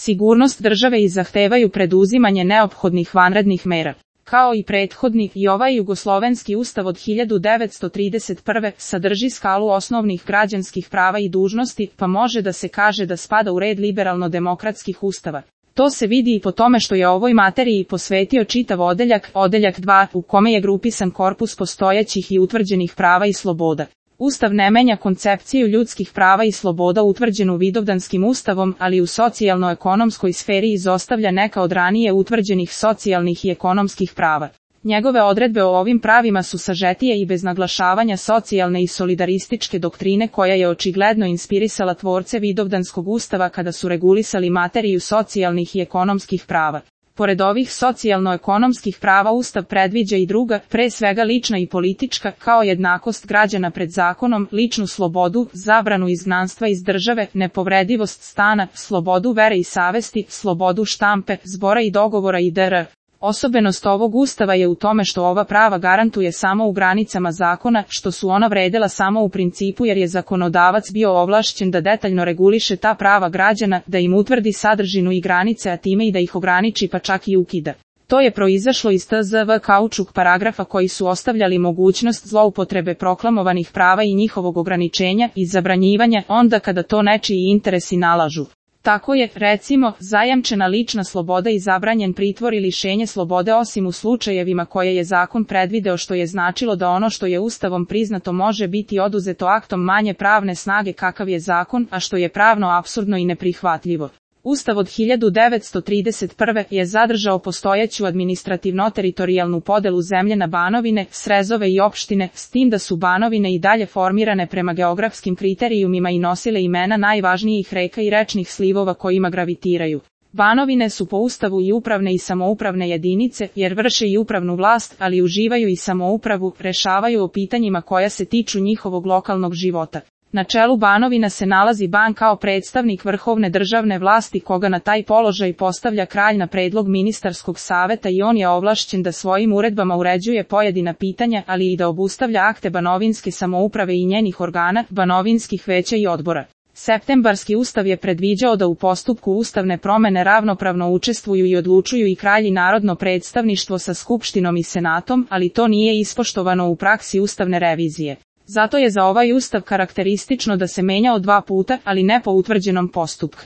sigurnost države i zahtevaju preduzimanje neophodnih vanrednih mera. Kao i prethodni, i ovaj jugoslovenski ustav od 1931. sadrži skalu osnovnih građanskih prava i dužnosti, pa može da se kaže da spada u red liberalno-demokratskih ustava. To se vidi i po tome što je ovoj materiji posvetio čitav odeljak 2, u kome je grupisan korpus postojećih i utvrđenih prava i sloboda. Ustav ne menja koncepciju ljudskih prava i sloboda utvrđenu Vidovdanskim ustavom, ali u socijalno-ekonomskoj sferi izostavlja neka od ranije utvrđenih socijalnih i ekonomskih prava. Njegove odredbe o ovim pravima su sažetije i bez naglašavanja socijalne i solidarističke doktrine koja je očigledno inspirisala tvorce Vidovdanskog ustava kada su regulisali materiju socijalnih i ekonomskih prava. Pored ovih socijalno-ekonomskih prava Ustav predviđa i druga, pre svega lična i politička, kao jednakost građana pred zakonom, ličnu slobodu, zabranu izgnanstva iz države, nepovredivost stana, slobodu vere i savesti, slobodu štampe, zbora i dogovora itd. Osobenost ovog ustava je u tome što ova prava garantuje samo u granicama zakona, što su ona vredela samo u principu jer je zakonodavac bio ovlašćen da detaljno reguliše ta prava građana, da im utvrdi sadržinu i granice, a time i da ih ograniči pa čak i ukida. To je proizašlo iz TZV kaučuk paragrafa koji su ostavljali mogućnost zloupotrebe proklamovanih prava i njihovog ograničenja i zabranjivanja onda kada to nečiji interesi nalažu. Tako je, recimo, zajamčena lična sloboda i zabranjen pritvor i lišenje slobode osim u slučajevima koje je zakon predvideo, što je značilo da ono što je ustavom priznato može biti oduzeto aktom manje pravne snage kakav je zakon, a što je pravno apsurdno i neprihvatljivo. Ustav od 1931. je zadržao postojeću administrativno-teritorijalnu podelu zemlje na banovine, srezove i opštine, s tim da su banovine i dalje formirane prema geografskim kriterijumima i nosile imena najvažnijih reka i rečnih slivova kojima gravitiraju. Banovine su po ustavu i upravne i samoupravne jedinice, jer vrše i upravnu vlast, ali uživaju i samoupravu, rešavaju o pitanjima koja se tiču njihovog lokalnog života. Na čelu Banovina se nalazi ban kao predstavnik vrhovne državne vlasti koga na taj položaj postavlja kralj na predlog ministarskog saveta i on je ovlašćen da svojim uredbama uređuje pojedina pitanja, ali i da obustavlja akte banovinske samouprave i njenih organa, banovinskih veća i odbora. Septembarski ustav je predviđao da u postupku ustavne promene ravnopravno učestvuju i odlučuju i kralj i narodno predstavništvo sa skupštinom i senatom, ali to nije ispoštovano u praksi ustavne revizije. Zato je za ovaj ustav karakteristično da se menjao 2 puta, ali ne po utvrđenom postupku.